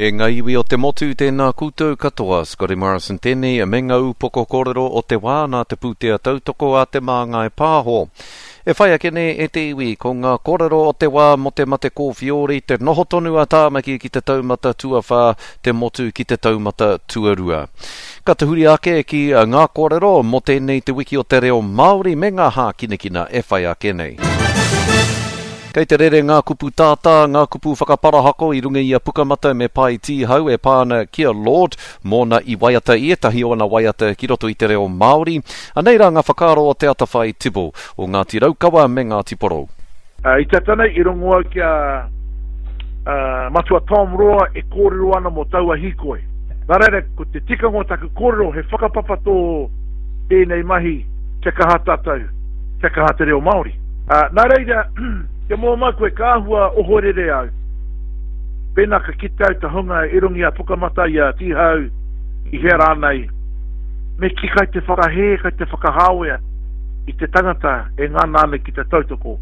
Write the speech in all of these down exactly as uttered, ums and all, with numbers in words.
E ngā iwi o te motu, tēnā koutou katoa. Scotty Morrison tēnei, me ngā upoko kōrero o te wā nā te pūtea tautoko a Te Māngai Pāho. E whai ake nei e te iwi, ko ngā kōrero o te wā mō te mate kōwhiori, te noho tonu a Tāmaki ki te taumata tuawhā, te motu ki te taumata tuarua. Ka tahuri ake ki ngā kōrero mō tēnei te wiki o te reo Māori me ngā hākinakina e whai ake nei. Kei te rere ngā kupu tātā, ngā kupu whakaparahako i runga i a Pukamata me Pai Tīhau e pā ana ki a Lorde, mōna i waiata i ētahi o ana waiata ki roto i te reo Māori. Anei rā ngā whakaaro o Te Atawhai Tibble, o Ngāti Raukawa me Ngāti Porou. Uh, I tata nei i rongo au ki a uh, Matua Tom Roa e kōrero ana mō taua hīkoi. Nā reira, ko te tikanga o taku kōrero he whakapapa tō tēnei mahi kia kaha tātou, kia kaha te reo Māori. Uh, nā reira, kia mō mai koe ka āhua ohorere au. Pēnā ka kite au te hunga i runga i a Pukamata i a Tīhau i hea rānei, me kī kai te whakahē, kai te whakahāwea i te tangata e ngana ana ki te tautoko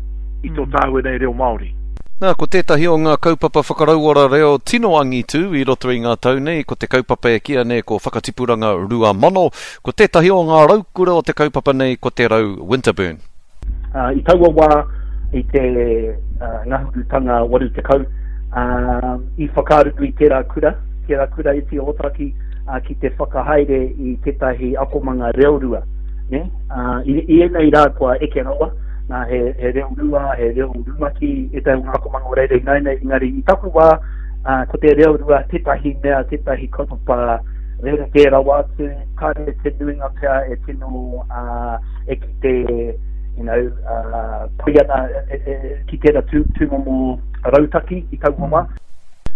i tō tāua nei reo Māori. Nā, ko tētahi o ngā kaupapa whakarauora reo tino angitu i roto i ngā tau nei, ko te kaupapa e kīia nei ko Whakatipuranga Rua Mano, ko tētahi o ngā raukura o te kaupapa nei ko Te Rau Winterburn. Uh, i taua wā, i te uh, ngahurutanga waru tekau, uh, i whakaarunui tērā kura, tērā kura iti o Ōtaki, uh, ki te whakahaere i tētahi akomanga reo rua. Ne? Uh, i, i ēnei rā kua eke rawa, nā, he, he reo rua, he reo rumaki, ētahi o ngā akomanga o reira ināianei, engari i taku wā, uh, ko te reo rua tētahi mea, tētahi kaupapa rerekē rawa atu, kāre te nuinga pea e tino uh, e ki te you know, uh, pai ana e, e, e, ki tērā tū, tūmomo rautaki i taua wā.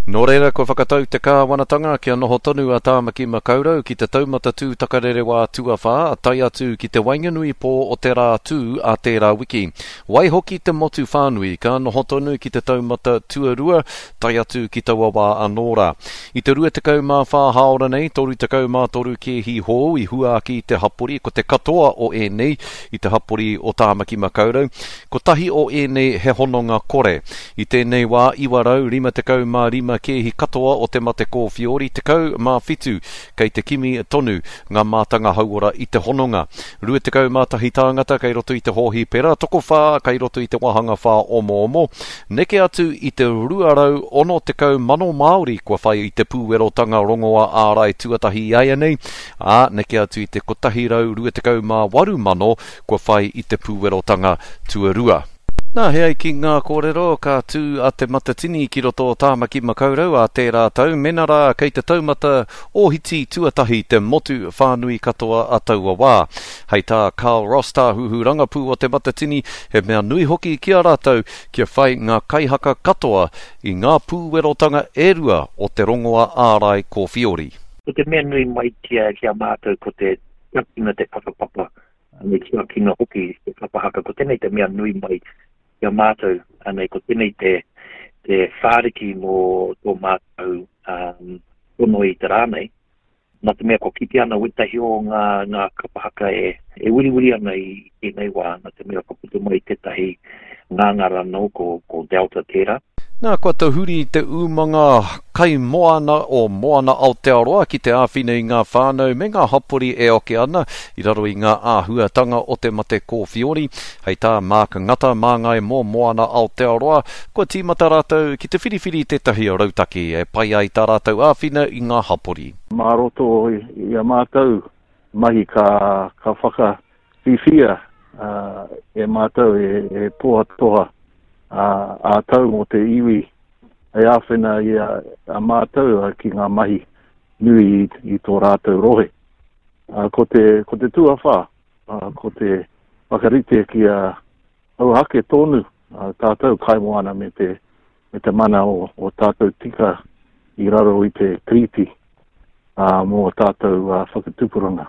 Nō reira, kua whakatau te kāwanatanga kia noho tonu a Tāmaki Makaurau ki te taumata tū takarerewā tuawhā, tae atu ki te waenganui pō o te rā tū a tērā wiki. Waihoki te motu whānui ka noho tonu ki te taumata tuarua, tae atu ki taua wā anō rā. I te rua tekau mā whā hāora nei, toru tekau mā toru kēhi hou i hua ake i te hapori, ko te katoa o ēnei i te hapori o Tāmaki Makaurau, kotahi o ēnei he hononga kore. I tēnei wā, iwa rau rima tekau mā rima kēhi katoa o te mate kōwhiori, tekau mā whitu kei te kimi tonu ngā mātanga hauora i te hononga. Rua tekau mā tahi tāngata kei roto i te hōhipera, tokowhā kei roto i te wāhanga whā omoomo, neke atu i te rua rau ono tekau mano Māori kua whai i te pūwerotanga rongoa ārai tuatahi i āianei, ā, neke atu i te kotahi rau rua tekau mā waru mano kua whai i te pūwerotanga tuarua. Nā, he ai ki ngā kōrero, ka tū a Te Matatini ki roto o Tāmaki Makaurau a tērā tau, mena rā kei te taumata ohiti tuatahi te motu whānui katoa a taua wā. Hei tā Carl Ross tāhuhu rangapū o Te Matatini, he mea nui hoki ki a rātou kia whai ngā kaihaka katoa i ngā pūwerotanga e rua o te rongoa ārai kōwhiori. Ko te mea nui mai ki a, ki a mātou ko te tiakina te whakapapa, me tiakina hoki te kapahaka, ko tēnei te mea nui mai ki a mātou, anei ko tēnei te, te whāriki mō tō mātou um, tono i te rā nei. Nā te mea kua kite ana wētahi o ngā, ngā kapahaka e, e wiriwiri ana i tēnei wā, nā te mea kua puta mai tētahi ngāngara anō ko, ko Delta tērā. Nā, kua tahuri te umanga kaimoana o Moana Aotearoa ki te āwhina i ngā whānau me ngā hapori e oke ana i raro i ngā āhuatanga o te mate kōwhiori. Hei tā Mark Ngata māngai mō Moana Aotearoa, kua tīmata rātou ki te whiriwhiri tētahi rautaki e pai ai tā rātou āwhina i ngā hapori. Mā roto i a mātou mahi ka, ka whakawhiwhia, uh, e mātou e, e tohatoha a tau mō te iwi hei āwhina i a, a mātou ki ngā mahi nui i, i tō rātou rohe. A, ko te, ko te tuawhā, a, ko te whakarite ki a auhake tonu a, tātou kaimoana me te, me te mana o, o tātou tika i raro i te tiriti, a, mō tātou a, whakatupuranga.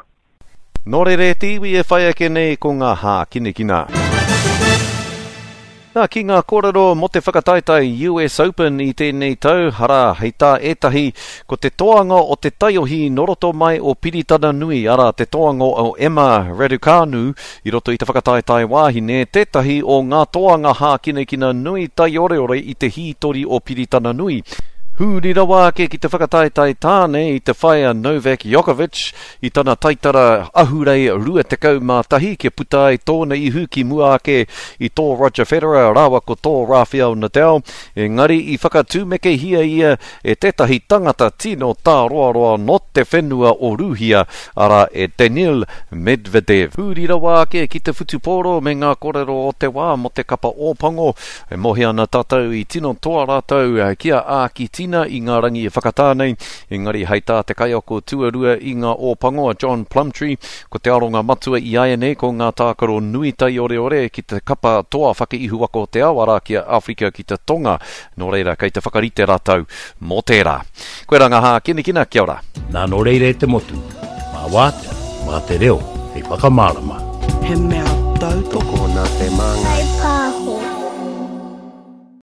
Nō reira e te iwi e whai ake nei ko ngā hākinakina. Nā, ki ngā kōrero mō te whakataetae U S Open i tēnei tau, harā, hei tā ētahi, ko te toanga o te taiohi nō roto mai o Piritana Nui, arā, te toanga o Emma Raducanu i roto i te whakataetae wāhine, tētahi o ngā toanga hākinakina nui taioreore i te hītori o Piritana Nui. Huri rawa ake ki te whakataetae tāne i te whai a Novak Djokovic i tana taitara ahurei rua tekau mā tahi kia puta ai tōna ihu ki mua ake i tō Roger Federer rāua ko tō Rafael Nadal, engari i whakatūmekehia ia e tētahi tangata tino tāroaroa nō te whenua o Rūhia, arā e Daniil Medvedev. Huri rawa ake ki te whutupōro me ngā kōrero o te wā mō te kapa Ōpango, e mohi ana tātou i tino toa rātou ki a Ākitina i ngā rangi e whakatā nei, engari hei tā te kaiako tuarua i ngā Ōpango a John Plumtree, ko te aronga matua i āianei ko ngā tākaro nui taioreore ki te kapa toa whakaihuwaka o te ao, arā ki a Āwherika ki te Tonga. Nō reira, kei te whakarite rātou mō tērā. Koe rā ngā hākinakina, kia ora. Nā nō reira e te motu, mā wātea, mā te reo, hei whakamārama. He mea tautoko. Tokona te māngai.